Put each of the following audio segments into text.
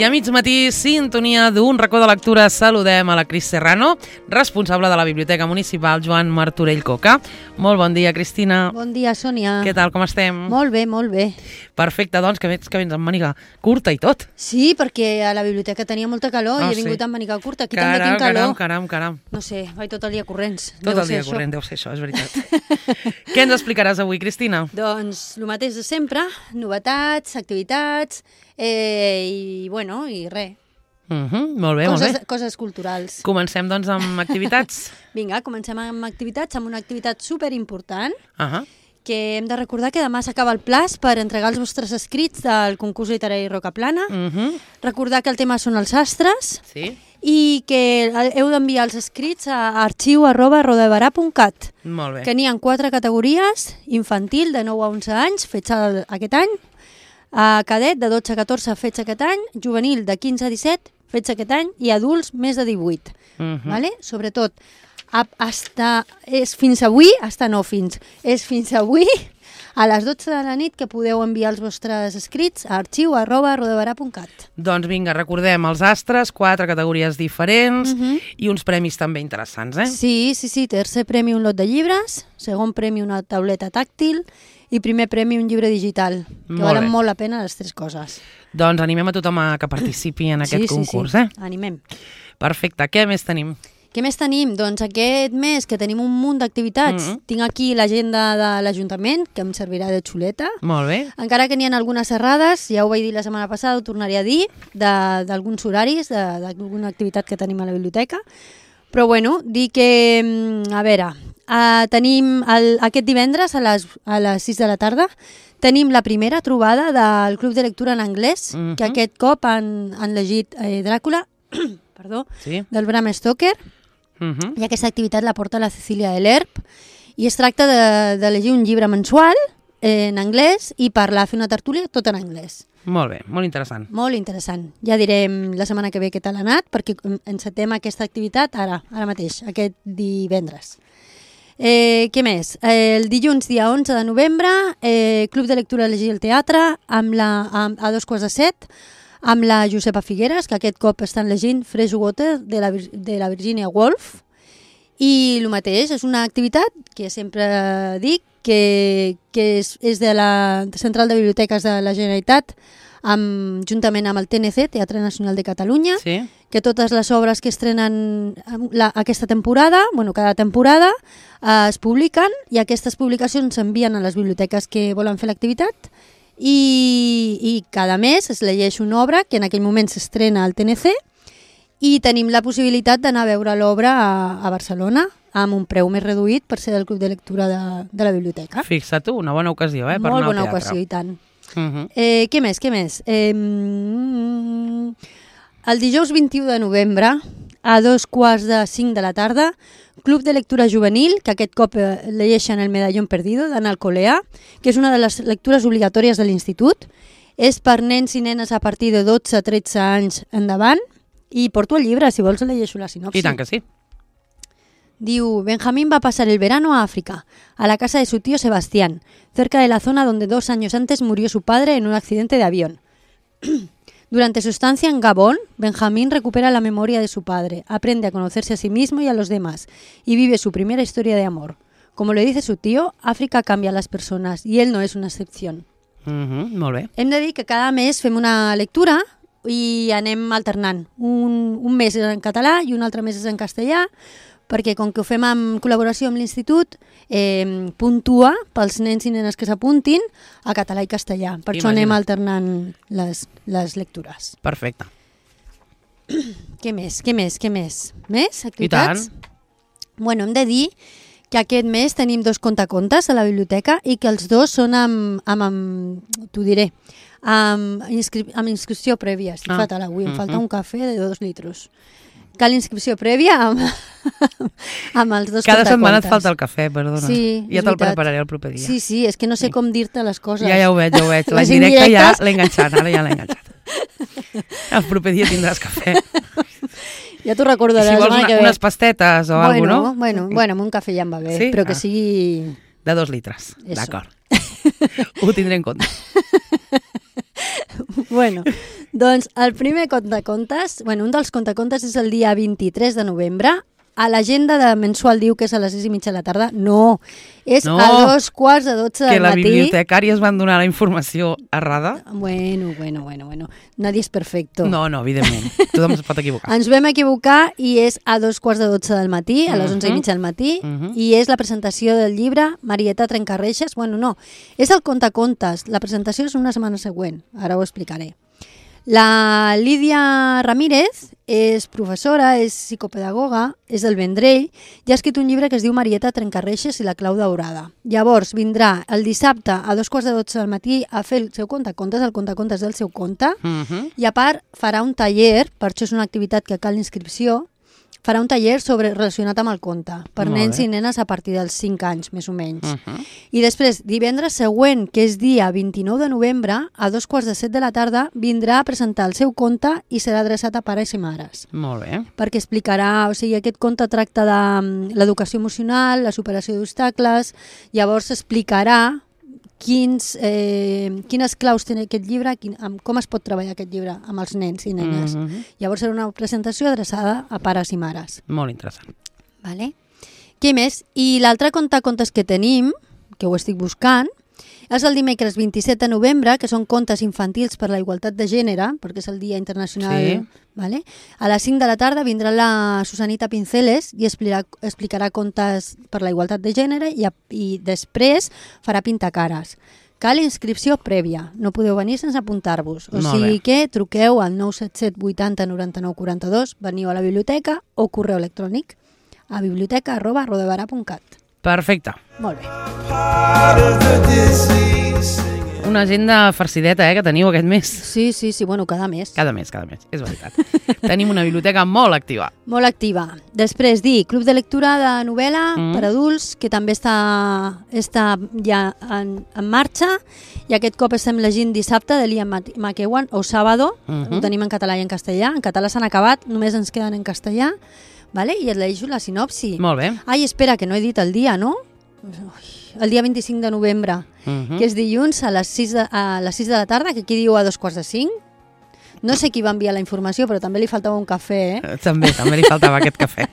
a mig matí, sintonia d'un racó de lectura. Saludem a la Cris Serrano, responsable de la Biblioteca Municipal Joan Martorell Coca. Molt bon dia, Cristina. Bon dia, Sònia. Què tal, com estem? Molt bé, molt bé. Perfecte, doncs, que vens amb màniga curta i tot. Sí, perquè a la biblioteca tenia molta calor i he vingut amb màniga curta. Aquí també tinc calor. Caram. No sé, vaig tot el dia corrents. Tot el dia corrent, deu ser això, és veritat. Què ens explicaràs avui, Cristina? Doncs el mateix de sempre, novetats, activitats i res. Molt bé. Coses culturals. Comencem, doncs, amb activitats. Vinga, comencem amb activitats, amb una activitat superimportant, Que hem de recordar que demà s'acaba el plaç per entregar els vostres escrits del concurs literari Rocaplana. Recordar que el tema són els astres. Sí. I que heu d'enviar els escrits a arxiu@rodabarà.cat. Molt bé. Que n'hi ha 4 categories: infantil, de 9 a 11 anys, fets aquest any, cadet, de 12 a 14, fets aquest any, juvenil, de 15 a 17, fets aquest any, i adults, més de 18. Vale? Sobretot, és fins avui a les 12 de la nit que podeu enviar els vostres escrits a arxiu@rodabarà.cat. Doncs vinga, recordem els astres, 4 categories diferents i uns premis també interessants, eh? Sí. Tercer premi un lot de llibres, segon premi una tauleta tàctil i primer premi un llibre digital, que valen molt la pena les 3 coses. Doncs animem a tothom que participi en aquest concurs, eh? Animem. Perfecte, què més tenim? Què més tenim? Doncs aquest mes que tenim un munt d'activitats. Tinc aquí l'agenda de l'Ajuntament, que em servirà de xuleta. Molt bé. Encara que n'hi ha algunes errades, ja ho vaig dir la setmana passada, ho tornaré a dir, d'alguns horaris, d'alguna activitat que tenim a la biblioteca. Però bueno, dir que, a veure, tenim aquest divendres a les 6 de la tarda, tenim la primera trobada del Club de Lectura en Anglès, que aquest cop han llegit Dràcula, del Bram Stoker. I aquesta activitat la porta la Cecília de l'Erp i es tracta de llegir un llibre mensual en anglès i fer una tertúlia tot en anglès. Molt bé, molt interessant. Molt interessant. Ja direm la setmana que ve què tal ha anat, perquè encetem aquesta activitat ara mateix, aquest divendres. Què més? El dilluns, dia 11 de novembre, Club de Lectura Llegir al Teatre, a 7:15, amb la Josepa Figueres, que aquest cop estan llegint Freshwater, de la Virginia Woolf. I el mateix, és una activitat que sempre dic, que és de la Central de Biblioteques de la Generalitat, juntament amb el TNC, Teatre Nacional de Catalunya, que totes les obres que estrenen aquesta temporada, cada temporada, es publiquen i aquestes publicacions s'envien a les biblioteques que volen fer l'activitat. I cada mes es llegeix una obra que en aquell moment s'estrena al TNC i tenim la possibilitat d'anar a veure l'obra a Barcelona amb un preu més reduït per ser del Club de Lectura de la biblioteca. Fixa't tu, una bona ocasió, per anar al teatre. Molt bona ocasió, i tant. Què més? El dijous 21 de novembre, a 4:45 de la tarda, Club de Lectura Juvenil, que aquest cop llegeixen El medallón perdido d'Anna Alcolea, que és una de les lectures obligatòries de l'institut. És per nens i nenes a partir de 12 a 13 anys endavant. I porto el llibre, si vols llegeixo la sinopsi. I tant que sí. Diu: Benjamín va a pasar el verano a África, a la casa de su tío Sebastián, cerca de la zona donde 2 años antes murió su padre en un accidente de avión. Durante su estancia en Gabón, Benjamín recupera la memoria de su padre, aprende a conocerse a sí mismo y a los demás, y vive su primera historia de amor. Como le dice su tío, África cambia a las personas, y él no es una excepción. Molt bé. Hem de dir que cada mes fem una lectura i anem alternant. Un mes és en català i un altre mes és en castellà, perquè com que ho fem en col·laboració amb l'Institut, puntua pels nens i nenes que s'apuntin a català i castellà. Per això anem alternant les lectures. Perfecte. Què més? Més activitats? I tant. Bueno, hem de dir que aquest mes tenim 2 contacontes a la biblioteca i que els 2 són t'ho diré, amb inscripció prèvia. Estic fatal avui, em falta un cafè de 2 litros. Cal inscripció prèvia amb els 2 contacontes. Cada setmana et falta el cafè, perdona. Sí, ja te'l prepararé el proper dia. Sí, és que no sé com dir-te les coses. Ja ho veig. La indirecta ja l'he enganxat, ara ja l'he enganxat. El proper dia tindràs cafè. Ja t'ho recordaràs. Si vols unes pastetes o alguna cosa, no? Bueno, amb un cafè ja em va bé, però que sigui... De 2 litres, d'acord. Ho tindré en compte. Bueno, Doncs el primer contacontes, un dels contacontes és el dia 23 de novembre. A l'agenda de mensual diu que és a les 6:30 de la tarda. No, és a 2:15 del matí. Que la bibliotecària es van donar la informació errada. Bueno. Nadie és perfecto. No, evidentment. Tothom es pot equivocar. Ens vam equivocar i és a 2:15 del matí, a les 11:30 del matí, i és la presentació del llibre Marieta Trencarreixes. No, és el contacontes. La presentació és una setmana següent. Ara ho explicaré. La Lídia Ramírez és professora, és psicopedagoga, és del Vendrell i ha escrit un llibre que es diu Marieta Trencarreixes i la clau daurada. Llavors vindrà el dissabte a 2:15 del matí a fer el seu contacontes, el contacontes del seu conte, i a part farà un taller, per això és una activitat que cal inscripció, farà un taller relacionat amb el conte, per nens i nenes a partir dels 5 anys, més o menys. I després, divendres següent, que és dia 29 de novembre, a 6:45 de la tarda, vindrà a presentar el seu conte i serà adreçat a pares i mares. Molt bé. Perquè explicarà, aquest conte tracta de l'educació emocional, la superació d'obstacles, llavors explicarà quines claus té aquest llibre, com es pot treballar aquest llibre amb els nens i nenes. Llavors serà una presentació adreçada a pares i mares. Molt interessant. Vale. Què més? I l'altre contacontes que tenim, que ho estic buscant, és el dimecres 27 de novembre, que són contes infantils per la igualtat de gènere, perquè és el Dia Internacional. Sí. Vale? A les 5 de la tarda vindrà la Susanita Pinceles i explicarà contes per la igualtat de gènere i després farà pintacares. Cal inscripció prèvia, no podeu venir sense apuntar-vos. O sigui que truqueu al 977 80 99 42, veniu a la biblioteca o correu electrònic a biblioteca@rodebara.cat. Perfecte. Molt bé. Una agenda farcideta, que teniu aquest mes. Sí, cada mes. Cada mes, és veritat. Tenim una biblioteca molt activa. Molt activa. Després, Club de lectura de novel·la per adults, que també està ja en marxa, i aquest cop estem llegint dissabte de Liam McEwan, o Sábado, ho tenim en català i en castellà. En català s'han acabat, només ens queden en castellà, vale? I et llegeixo la sinopsi. Molt bé. Ai, espera, que no he dit el dia, no? El dia 25 de novembre, que és dilluns a les 6 de la tarda, que aquí diu a 4:45. No sé qui va enviar la informació, però també li faltava un cafè, També li faltava aquest cafè.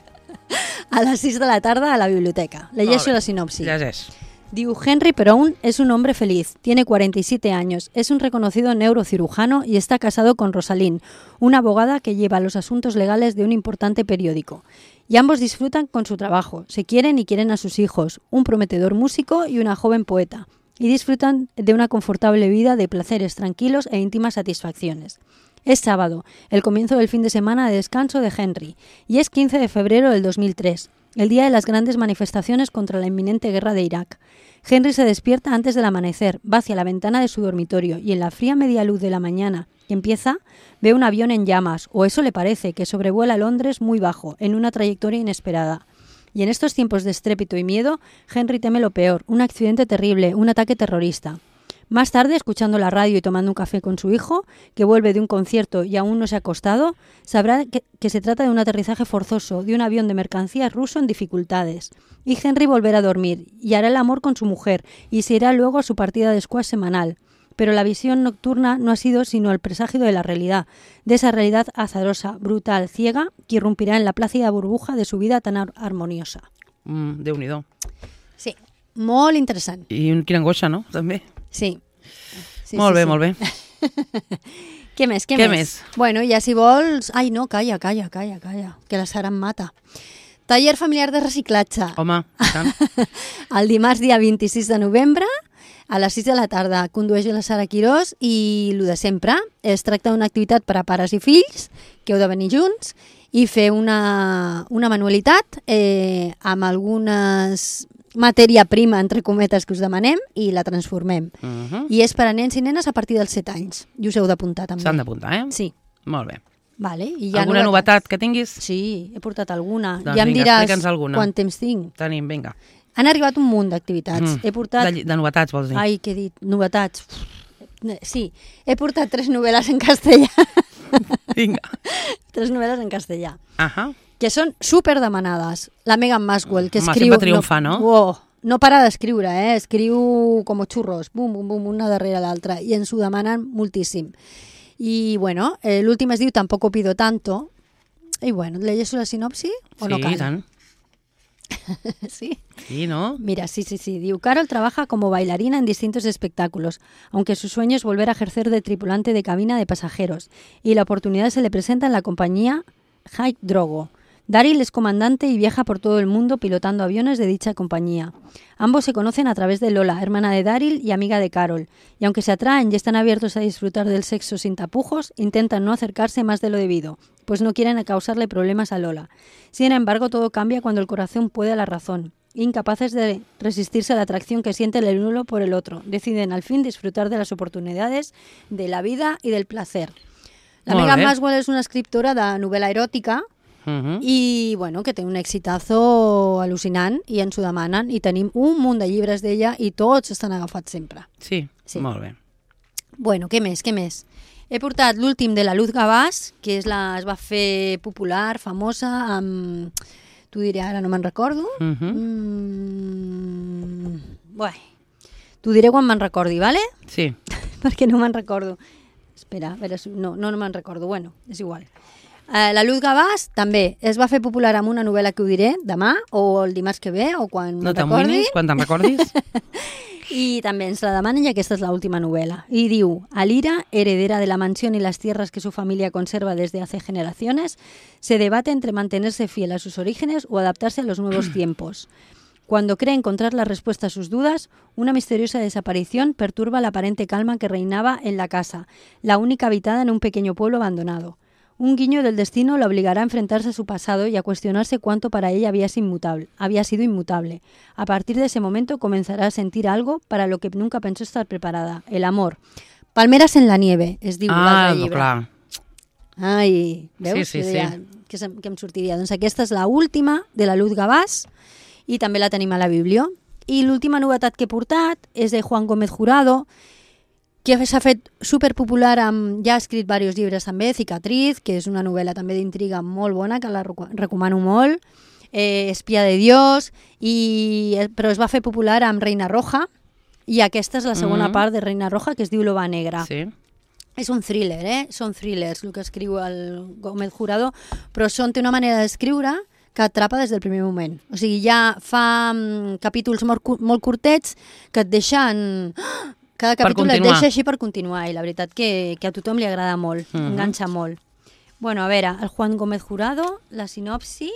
A les 6 de la tarda a la biblioteca. Llegeixo la sinopsi. Llegeix. Diu, Henry Perón es un hombre feliz, tiene 47 años, es un reconocido neurocirujano y está casado con Rosalind, una abogada que lleva los asuntos legales de un importante periódico. Y ambos disfrutan con su trabajo, se quieren y quieren a sus hijos, un prometedor músico y una joven poeta, y disfrutan de una confortable vida de placeres tranquilos e íntimas satisfacciones. Es sábado, el comienzo del fin de semana de descanso de Henry, y es 15 de febrero del 2003. El día de las grandes manifestaciones contra la inminente guerra de Irak. Henry se despierta antes del amanecer, va hacia la ventana de su dormitorio y en la fría media luz de la mañana que empieza, ve un avión en llamas, o eso le parece, que sobrevuela Londres muy bajo, en una trayectoria inesperada. Y en estos tiempos de estrépito y miedo, Henry teme lo peor, un accidente terrible, un ataque terrorista. Más tarde, escuchando la radio y tomando un café con su hijo, que vuelve de un concierto y aún no se ha acostado, sabrá que se trata de un aterrizaje forzoso de un avión de mercancías ruso en dificultades. Y Henry volverá a dormir y hará el amor con su mujer y se irá luego a su partida de squash semanal. Pero la visión nocturna no ha sido sino el presagio de la realidad, de esa realidad azarosa, brutal, ciega, que irrumpirá en la plácida burbuja de su vida tan armoniosa. Déu-n'hi-do. Sí, molt interessant. I quina angoixa, no? També. Sí. Molt bé, molt bé. Què més? Bueno, ja si vols... Ai, no, calla, que la Sara em mata. Taller familiar de reciclatge. Home, tant. El dimarts, dia 26 de novembre, a les 6 de la tarda, condueix la Sara Quirós i el de sempre. Es tracta d'una activitat per a pares i fills, que heu de venir junts, i fer una manualitat amb algunes matèria prima, entre cometes, que us demanem i la transformem. I és per a nens i nenes a partir dels 7 anys. I us heu d'apuntar també. S'han d'apuntar, Sí. Molt bé. Vale. I Alguna novetat que tinguis? Sí, he portat alguna. Doncs ja em vinga, diràs explica'ns alguna. quant temps tinc. Tenim, vinga. Han arribat un munt d'activitats. He portat... De novetats, vols dir? Ai, què he dit? Novetats. Sí, he portat 3 novel·les en castellà. Vinga. 3 novel·les en castellà. Ahà. Que són super demanades. La Megan Maxwell, que escriu... Sempre triomfa, no? No para d'escriure, Escriu com xurros, bum, bum, bum, una darrere l'altra, i ens ho demanen moltíssim. I, bueno, l'últim es diu Tampoco pido tanto. I, bueno, ¿leyes la sinopsi o no cal? Sí, tant. Sí. Sí, ¿no? Mira, sí. Diu, Carol trabaja como bailarina en distintos espectáculos, aunque su sueño es volver a ejercer de tripulante de cabina de pasajeros, y la oportunidad se le presenta en la compañía Hike Drogo. Daryl es comandante y viaja por todo el mundo pilotando aviones de dicha compañía. Ambos se conocen a través de Lola, hermana de Daryl y amiga de Carol, y aunque se atraen y están abiertos a disfrutar del sexo sin tapujos, intentan no acercarse más de lo debido, pues no quieren causarle problemas a Lola. Sin embargo, todo cambia cuando el corazón puede a la razón. Incapaces de resistirse a la atracción que siente el uno por el otro, deciden al fin disfrutar de las oportunidades de la vida y del placer. La Megan Maswell és una escriptora de novel·la eròtica i bueno, que té un exitazo al·lucinant i ens ho demanen i tenim un munt de llibres d'ella i tots estan agafats sempre. Sí, molt bé. Bueno, què més? He portat l'últim de la Luz Gavàs, que es va fer popular, famosa, amb... T'ho diré ara, no me'n recordo. Bé, t'ho diré quan me'n recordi, ¿vale? Sí. Perquè no me'n recordo. Espera, a veure, no me'n recordo. Bueno, és igual. La Luz Gavàs també es va fer popular amb una novel·la que ho diré demà o el dimarts que ve o quan me'n recordi. No t'amoïnis, quan te'n recordis. Y también se la demanen ya que esta es la última novela. Y diu, Alira, heredera de la mansión y las tierras que su familia conserva desde hace generaciones, se debate entre mantenerse fiel a sus orígenes o adaptarse a los nuevos tiempos. Cuando cree encontrar la respuesta a sus dudas, una misteriosa desaparición perturba la aparente calma que reinaba en la casa, la única habitada en un pequeño pueblo abandonado. Un guiño del destino la obligará a enfrentarse a su pasado y a cuestionarse cuánto para ella había sido inmutable. A partir de ese momento comenzará a sentir algo para lo que nunca pensó estar preparada, el amor. Palmeras en la nieve, es diu l'altre llibre. Clar. Ai, veus? Sí. Que em sortiria. Doncs aquesta és l'última de la Luz Gavàs i també la tenim a la Biblio. I l'última novetat que he portat és de Juan Gómez Jurado, que s'ha fet superpopular, ja ha escrit diversos llibres també, Cicatriz, que és una novel·la també d'intriga molt bona, que la recomano molt, Espía de Dios, però es va fer popular amb Reina Roja, i aquesta és la segona part de Reina Roja, que es diu Loba Negra. Sí. És un thriller, són thrillers el que escriu el Gómez Jurado, però té una manera d'escriure que atrapa des del primer moment. O sigui, ja fa capítols molt curtets que et deixen... Cada capítol et deixa així per continuar i la veritat que a tothom li agrada molt, enganxa molt. Bueno, a veure, el Juan Gómez Jurado, la sinopsi...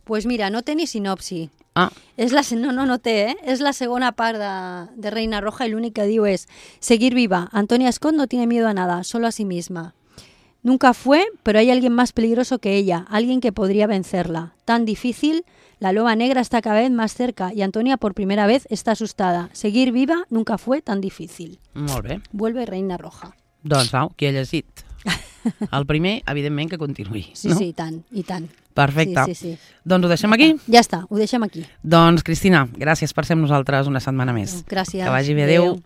Pues mira, no té ni sinopsi. No té, És la segona part de Reina Roja y lo único que diu es: seguir viva. Antonia Scott no tiene miedo a nada, solo a sí misma. Nunca fue, pero hay alguien más peligroso que ella, alguien que podría vencerla. Tan difícil, la loba negra está cada vez más cerca y Antonia por primera vez está asustada. Seguir viva nunca fue tan difícil. Molt bé. Vuelve Reina Roja. Doncs au, qui ha llegit? El primer, evidentment, que continuï. Sí, no? sí, i tant. Perfecte. Sí. Doncs ho deixem aquí? Ja està, ho deixem aquí. Doncs, Cristina, gràcies per ser amb nosaltres una setmana més. Gràcies. Que vagi bé, adéu.